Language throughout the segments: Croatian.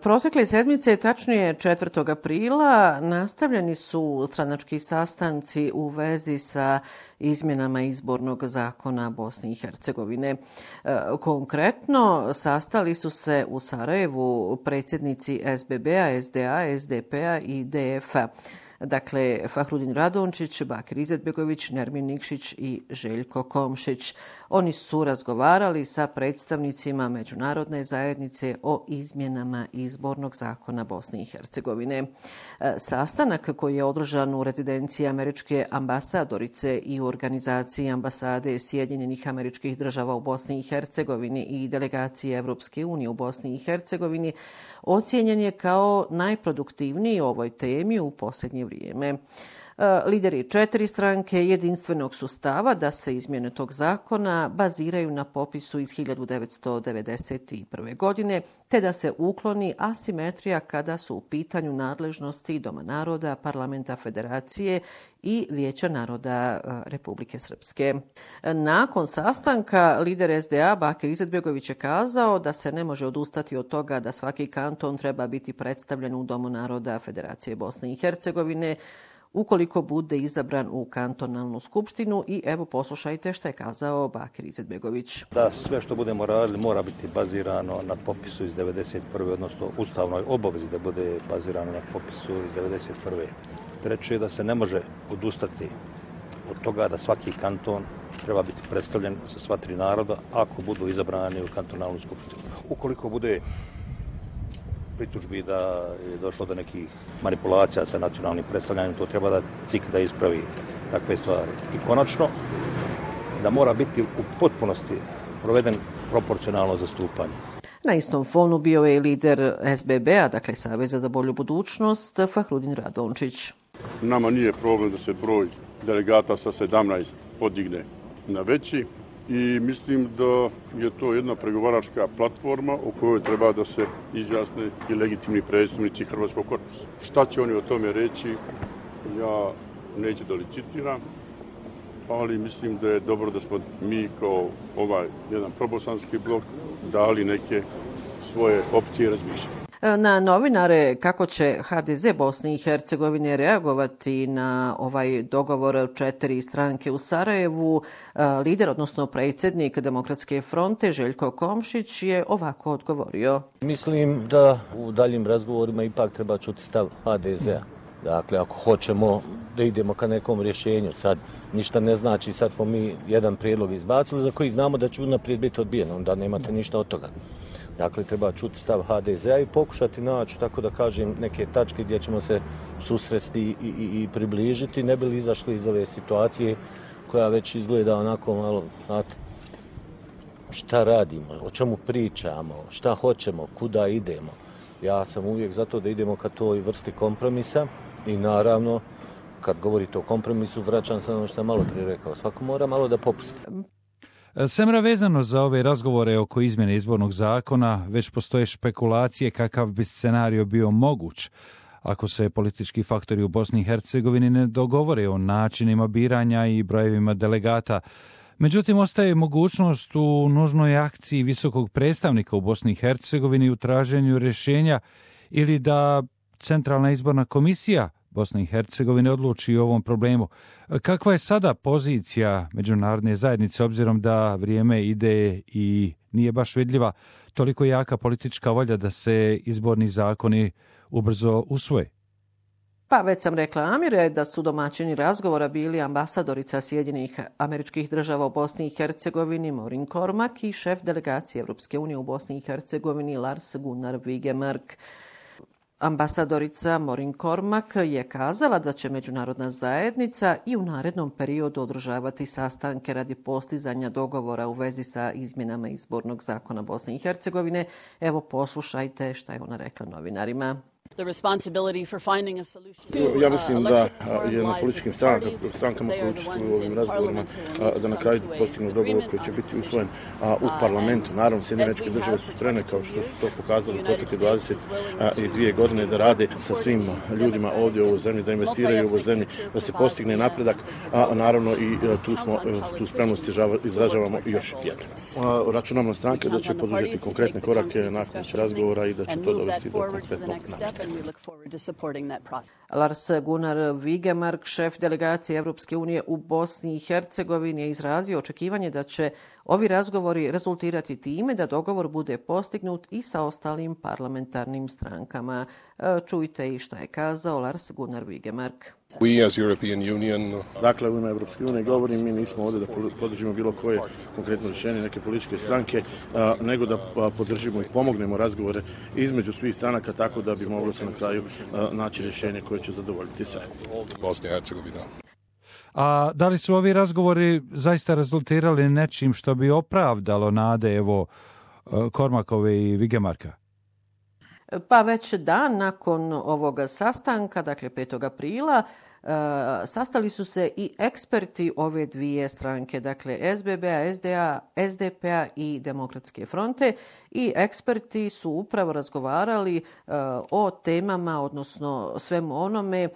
Protekle sedmice, tačnije 4. aprila, nastavljeni su stranački sastanci u vezi sa izmjenama izbornog zakona Bosne i Hercegovine. Konkretno, sastali su se u Sarajevu predsjednici SBB-a, SDA, SDP-a i DF-a. Dakle, Fahrudin Radončić, Bakir Izetbegović, Nermin Nikšić i Željko Komšić. Oni su razgovarali sa predstavnicima međunarodne zajednice o izmjenama izbornog zakona Bosne i Hercegovine. Sastanak koji je održan u rezidenciji američke ambasadorice i u organizaciji ambasade Sjedinjenih Američkih Država u Bosni i Hercegovini i delegacije Evropske unije u Bosni i Hercegovini ocijenjen je kao najproduktivniji o ovoj temi u posljednje vrijeme. Lideri 4 stranke jedinstvenog su stava da se izmjene tog zakona baziraju na popisu iz 1991. godine, te da se ukloni asimetrija kada su u pitanju nadležnosti Doma naroda, Parlamenta Federacije i Vijeća naroda Republike Srpske. Nakon sastanka, lider SDA Bakir Izetbegović je kazao da se ne može odustati od toga da svaki kanton treba biti predstavljen u Domu naroda Federacije Bosne i Hercegovine ukoliko bude izabran u kantonalnu skupštinu. I evo poslušajte što je kazao Bakir Izetbegović. Da sve što budemo radili mora biti bazirano na popisu iz 1991. odnosno ustavnoj obavezi da bude bazirano na popisu iz 1991. Treće je da se ne može odustati od toga da svaki kanton treba biti predstavljen sa sva 3 naroda ako budu izabrani u kantonalnu skupštinu. Ukoliko bude pritužbi da je došlo do nekih manipulacija sa nacionalnim predstavljanjem, to treba da CIK da ispravi takve stvari. I konačno, da mora biti u potpunosti proveden proporcionalno zastupanje. Na istom fonu bio je i lider SBB-a, dakle Saveza za bolju budućnost, Fahrudin Radončić. Nama nije problem da se broj delegata sa 17 podigne na veći i mislim da je to jedna pregovaračka platforma u kojoj treba da se izjasne i legitimni predstavnici Hrvatskog korpusa. Šta će oni o tome reći, ja neću da licitiram, ali mislim da je dobro da smo mi kao ovaj jedan probosanski blok dali neke svoje opcije razmišljanja. Na novinare kako će HDZ Bosne i Hercegovine reagovati na ovaj dogovor 4 stranke u Sarajevu, lider, odnosno predsjednik Demokratske fronte Željko Komšić je ovako odgovorio. Mislim da u daljim razgovorima ipak treba čuti stav HDZ-a. Dakle, ako hoćemo da idemo ka nekom rješenju, sad ništa ne znači, sad smo mi jedan prijedlog izbacili za koji znamo da će unaprijed biti odbijen, onda nemate ništa od toga. Dakle, treba čuti stav HDZ-a i pokušati naći, tako da kažem, neke tačke gdje ćemo se susresti i približiti, ne bi li izašli iz ove situacije koja već izgleda onako malo, znate, šta radimo, o čemu pričamo, šta hoćemo, kuda idemo. Ja sam uvijek za to da idemo ka toj vrsti kompromisa i naravno, kad govorite o kompromisu, vraćam se ono što sam malo prije rekao, svako mora malo da popusti. Semra, vezano za ove razgovore oko izmjene izbornog zakona, već postoje špekulacije kakav bi scenario bio moguć ako se politički faktori u Bosni i Hercegovini ne dogovore o načinima biranja i brojevima delegata. Međutim, ostaje mogućnost u nužnoj akciji visokog predstavnika u Bosni i Hercegovini u traženju rješenja ili da Centralna izborna komisija Bosne i Hercegovine odluči o ovom problemu. Kakva je sada pozicija međunarodne zajednice, obzirom da vrijeme ide i nije baš vidljiva toliko jaka politička volja da se izborni zakoni ubrzo usvoje? Pa već sam rekla, Amire, da su domaćini razgovora bili ambasadorica Sjedinjenih Američkih Država u Bosni i Hercegovini Morin Kormak i šef delegacije Evropske unije u Bosni i Hercegovini Lars Gunnar Vigemark. Ambasadorica Morin Kormak je kazala da će međunarodna zajednica i u narednom periodu održavati sastanke radi postizanja dogovora u vezi sa izmjenama izbornog zakona Bosne i Hercegovine. Evo poslušajte šta je ona rekla novinarima. Ja mislim da je na političkim strankama koje učestvuju u ovim razgovorima da na kraju postignu dogovor koji će biti usvojen u parlamentu. Naravno, Sjedinjene Američke Države su spremne, kao što su to pokazali u protekle 22 godine, da rade sa svim ljudima ovdje u ovoj zemlji, da investiraju u ovoj zemlji, da se postigne napredak, a naravno i tu spremnost izražavamo još jednom. Računamo na stranke da će poduzeti konkretne korake nakon razgovora i da će to dovesti do konkretnog napretka. Lars Gunnar Wigemark, šef delegacije Evropske unije u Bosni i Hercegovini, je izrazio očekivanje da će ovi razgovori rezultirati time da dogovor bude postignut i sa ostalim parlamentarnim strankama. Čujte i što je kazao Lars Gunnar Wigemark. Dakle, u ime Evropske unije govorim, mi nismo ovdje da podržimo bilo koje konkretno rješenje neke političke stranke, nego da podržimo i pomognemo razgovore između svih stranaka tako da bi moglo se na kraju naći rješenje koje će zadovoljiti sve. A da li su ovi razgovori zaista rezultirali nečim što bi opravdalo nade Kormakove i Wigemarka? Pa već dan nakon ovoga sastanka, dakle 5. aprila, sastali su se i eksperti ove dvije stranke, dakle SBB-a, SDP-a i Demokratske fronte, i eksperti su upravo razgovarali o temama, odnosno svemu onome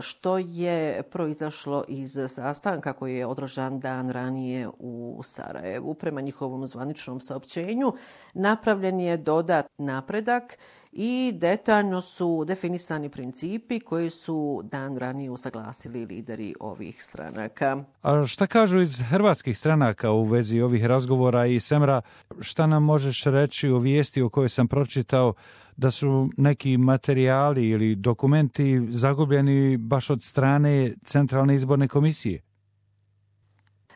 što je proizašlo iz sastanka koji je održan dan ranije u Sarajevu. Prema njihovom zvaničnom saopćenju napravljen je dodatni napredak i detaljno su definisani principi koji su dan ranije usaglasili lideri ovih stranaka. A šta kažu iz hrvatskih stranaka u vezi ovih razgovora? I Semra, šta nam možeš reći o vijesti o kojoj sam pročitao da su neki materijali ili dokumenti zagubljeni baš od strane Centralne izborne komisije?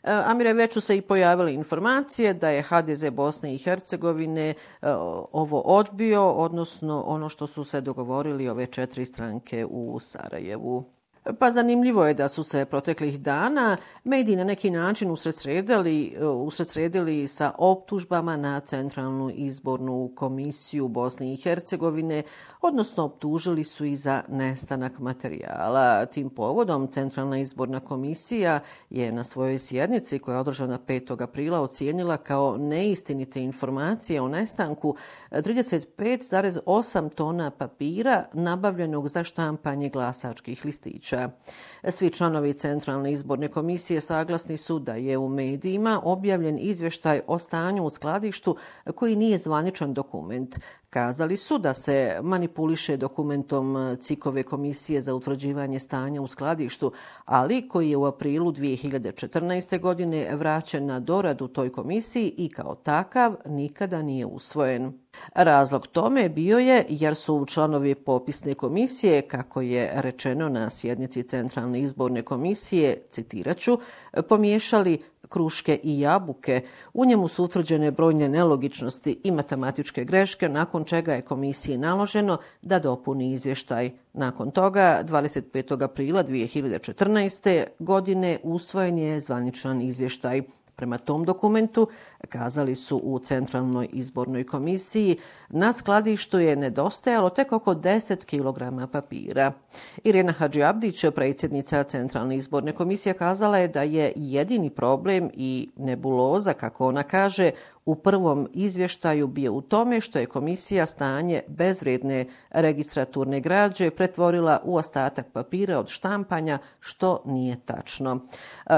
Amire, već su se i pojavile informacije da je HDZ Bosne i Hercegovine ovo odbio, odnosno ono što su se dogovorili ove 4 stranke u Sarajevu. Pa zanimljivo je da su se proteklih dana mediji na neki način usredsredili sa optužbama na Centralnu izbornu komisiju Bosne i Hercegovine, odnosno optužili su i za nestanak materijala. Tim povodom Centralna izborna komisija je na svojoj sjednici koja je održana 5. aprila ocijenila kao neistinite informacije o nestanku 35,8 tona papira nabavljenog za štampanje glasačkih listića. Svi članovi Centralne izborne komisije saglasni su da je u medijima objavljen izvještaj o stanju u skladištu koji nije zvaničan dokument. Kazali su da se manipuliše dokumentom CIK-ove komisije za utvrđivanje stanja u skladištu, ali koji je u aprilu 2014. godine vraćen na doradu toj komisiji i kao takav nikada nije usvojen. Razlog tome bio je jer su članovi popisne komisije, kako je rečeno na sjednici Centralne izborne komisije, citiraću, pomiješali kruške i jabuke. U njemu su utvrđene brojne nelogičnosti i matematičke greške, nakon čega je komisiji naloženo da dopuni izvještaj. Nakon toga, 25. aprila 2014. godine usvojen je zvaničan izvještaj. Prema tom dokumentu, kazali su u Centralnoj izbornoj komisiji, na skladištu je nedostajalo tek oko 10 kg papira. Irena Hadžiabdić, predsjednica Centralne izborne komisije, kazala je da je jedini problem i nebuloza, kako ona kaže, u prvom izvještaju bio u tome što je komisija stanje bezvrijedne registraturne građe pretvorila u ostatak papira od štampanja, što nije tačno.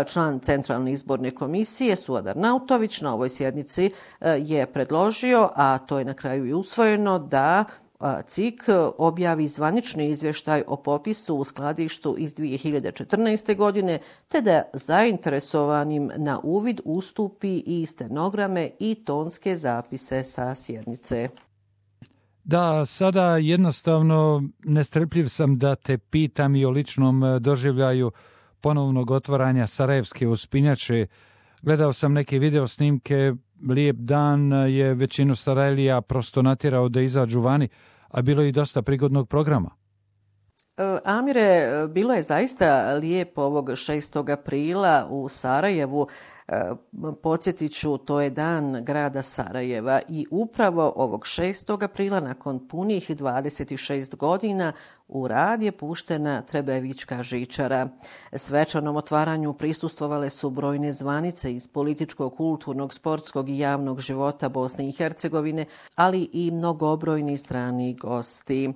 Član Centralne izborne komisije Suadar Nautović na ovoj sjednici je predložio, a to je na kraju i usvojeno, da CIK objavi zvanični izvještaj o popisu u skladištu iz 2014. godine, te da zainteresovanim na uvid ustupi i stenograme i tonske zapise sa sjednice. Da, sada jednostavno nestrpljiv sam da te pitam i o ličnom doživljaju ponovnog otvaranja Sarajevske uspinjače. Gledao sam neke video snimke, lijep dan je većinu Sarajlija prosto natjerao da izađu vani, a bilo je i dosta prigodnog programa. Amire, bilo je zaista lijepo ovog 6. aprila u Sarajevu. Podsjetit ću, to je dan grada Sarajeva i upravo ovog 6. aprila nakon punih 26 godina u rad je puštena Trebevićka žičara. Svečanom otvaranju prisustvovale su brojne zvanice iz političkog, kulturnog, sportskog i javnog života Bosne i Hercegovine, ali i mnogobrojni strani gosti.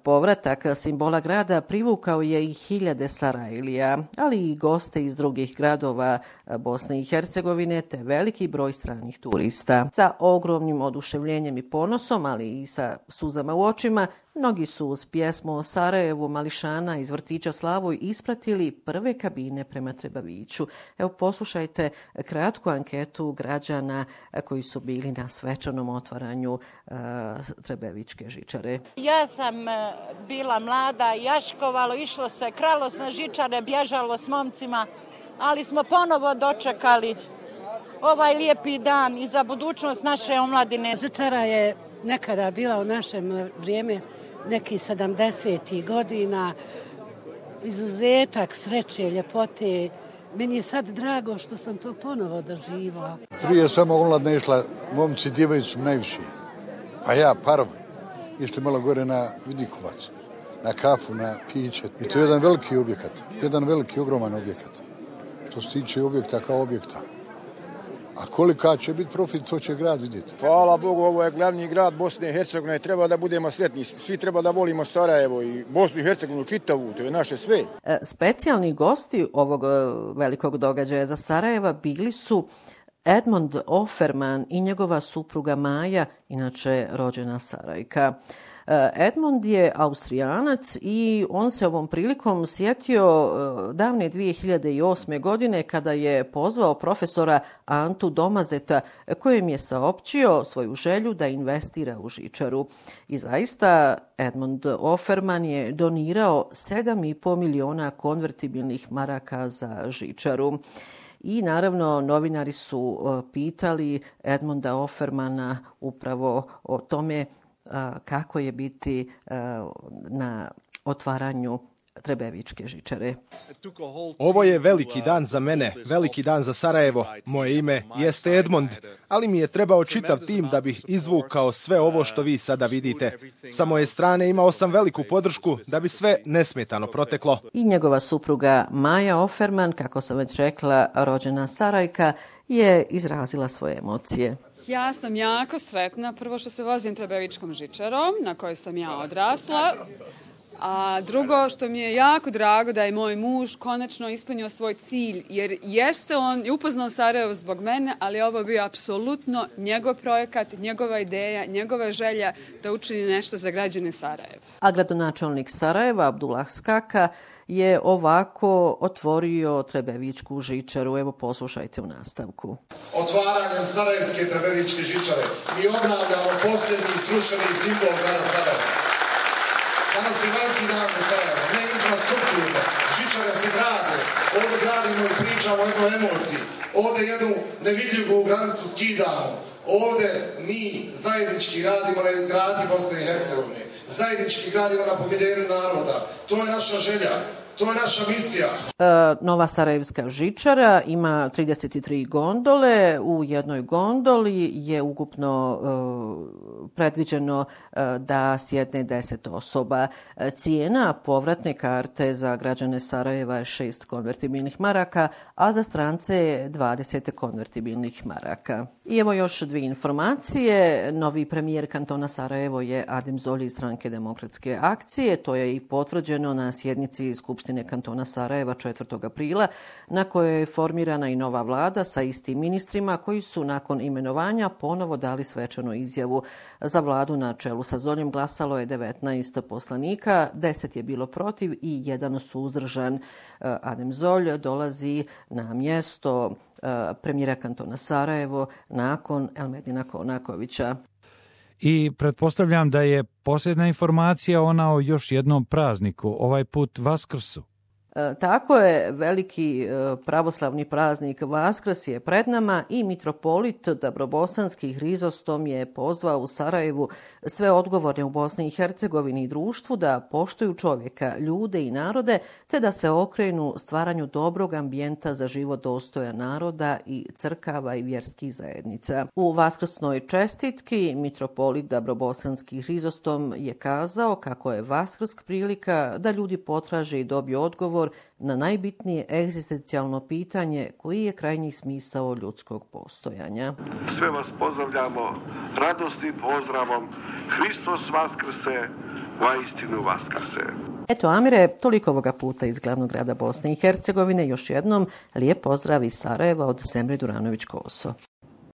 Povratak simbola grada privukao je i hiljade Sarajlija, ali i goste iz drugih gradova Bosne i Hercegovine te veliki broj stranih turista. Sa ogromnim oduševljenjem i ponosom, ali i sa suzama u očima, mnogi su uz pjesmu o Sarajevu mališana iz vrtića Slavoj ispratili prve kabine prema Trebeviću. Evo, poslušajte kratku anketu građana koji su bili na svečanom otvaranju Trebevićke žičare. Ja sam bila mlada, jaškovalo, išlo se, kralo se na žičare, bježalo s momcima, ali smo ponovo dočekali ovaj lijepi dan i za budućnost naše omladine. Žičara je nekada bila u našem vrijeme nekih 70. godina, izuzetak sreće, ljepote. Meni je sad drago što sam to ponovo doživao. Prije samo omladne išla, momci, djevojci su najviše. Pa ja, parovi, išli malo gore na Vidikovac, na kafu, na piće. I to je jedan veliki objekat, jedan veliki, ogroman objekat. Što se tiče objekta kao objekta. A kolika će biti profit, to će grad vidjeti. Hvala Bogu, ovo je glavni grad Bosne i Hercegovine. Treba da budemo sretni. Svi treba da volimo Sarajevo i Bosnu i Hercegovinu čitavu. To je naše sve. Specijalni gosti ovog velikog događaja za Sarajeva bili su Edmond Offerman i njegova supruga Maja, inače rođena Sarajka. Edmond je Austrijanac i on se ovom prilikom sjetio davne 2008. godine kada je pozvao profesora Antu Domazeta kojem je saopćio svoju želju da investira u žičaru. I zaista Edmond Offerman je donirao 7,5 miliona konvertibilnih maraka za žičaru. I naravno novinari su pitali Edmonda Offermana upravo o tome kako je biti na otvaranju Trebevićke žičare. Ovo je veliki dan za mene, veliki dan za Sarajevo. Moje ime jeste Edmond, ali mi je trebao čitav tim da bih izvukao sve ovo što vi sada vidite. Sa moje strane imao sam veliku podršku da bi sve nesmetano proteklo. I njegova supruga Maja Offerman, kako sam već rekla, rođena Sarajka, je izrazila svoje emocije. Ja sam jako sretna, prvo što se vozim Trebevićkom žičarom, na kojoj sam ja odrasla, a drugo što mi je jako drago da je moj muž konačno ispunio svoj cilj, jer jeste on upoznao Sarajevo zbog mene, ali ovo je bio apsolutno njegov projekat, njegova ideja, njegova želja da učini nešto za građane Sarajeva. A gradonačelnik Sarajeva, Abdullah Skaka, je ovako otvorio Trebevićku žičaru. Evo, poslušajte u nastavku. Otvaranjem Sarajevske Trebevićke žičare mi obnavljamo posljednji srušeni simbol grada Sarajeva. Danas je veliki dan za Sarajevo, ne infrastrukturno. Žičare se grade, ovdje gradimo i pričamo o jednoj emociji. Ovdje jednu nevidljivu granicu skidamo. Ovdje mi zajednički radimo na izgradnji Bosne i Hercegovine. Zajednički gradimo na pomirenju naroda. To je naša želja. To je naša misija. Nova Sarajevska žičara ima 33 gondole. U jednoj gondoli je ukupno predviđeno da sjedne 10 osoba. Cijena povratne karte za građane Sarajeva je 6 konvertibilnih maraka, a za strance je 20 konvertibilnih maraka. I evo još dvije informacije. Novi premijer kantona Sarajevo je Adem Zolji iz Stranke demokratske akcije. To je i potvrđeno na sjednici Skupštine kantona Sarajeva 4. aprila, na kojoj je formirana i nova vlada sa istim ministrima koji su nakon imenovanja ponovo dali svečanu izjavu. Za vladu na čelu sa Zoljom glasalo je 19 poslanika, 10 je bilo protiv i 1 suzdržan. Adem Zolj dolazi na mjesto premijera kantona Sarajevo nakon Elmedina Konakovića. I pretpostavljam da je posljedna informacija ona o još jednom prazniku, ovaj put Vaskrsu. Tako je, veliki pravoslavni praznik Vaskrs je pred nama i mitropolit Dabrobosanski Hrizostom je pozvao u Sarajevu sve odgovorne u Bosni i Hercegovini i društvu da poštuju čovjeka, ljude i narode, te da se okrenu stvaranju dobrog ambijenta za život dostojan naroda i crkava i vjerskih zajednica. U vaskrsnoj čestitki mitropolit Dabrobosanski Hrizostom je kazao kako je Vaskrsk prilika da ljudi potraže i dobiju odgovor na najbitnije egzistencijalno pitanje koji je krajnji smisao ljudskog postojanja. Sve vas pozdravljamo radosnim pozdravom. Hristos vaskrse, vaistinu vaskrse. Eto, Amire, toliko ovoga puta iz glavnog grada Bosne i Hercegovine. Još jednom lijep pozdrav iz Sarajeva od Semre Duranović-Koso.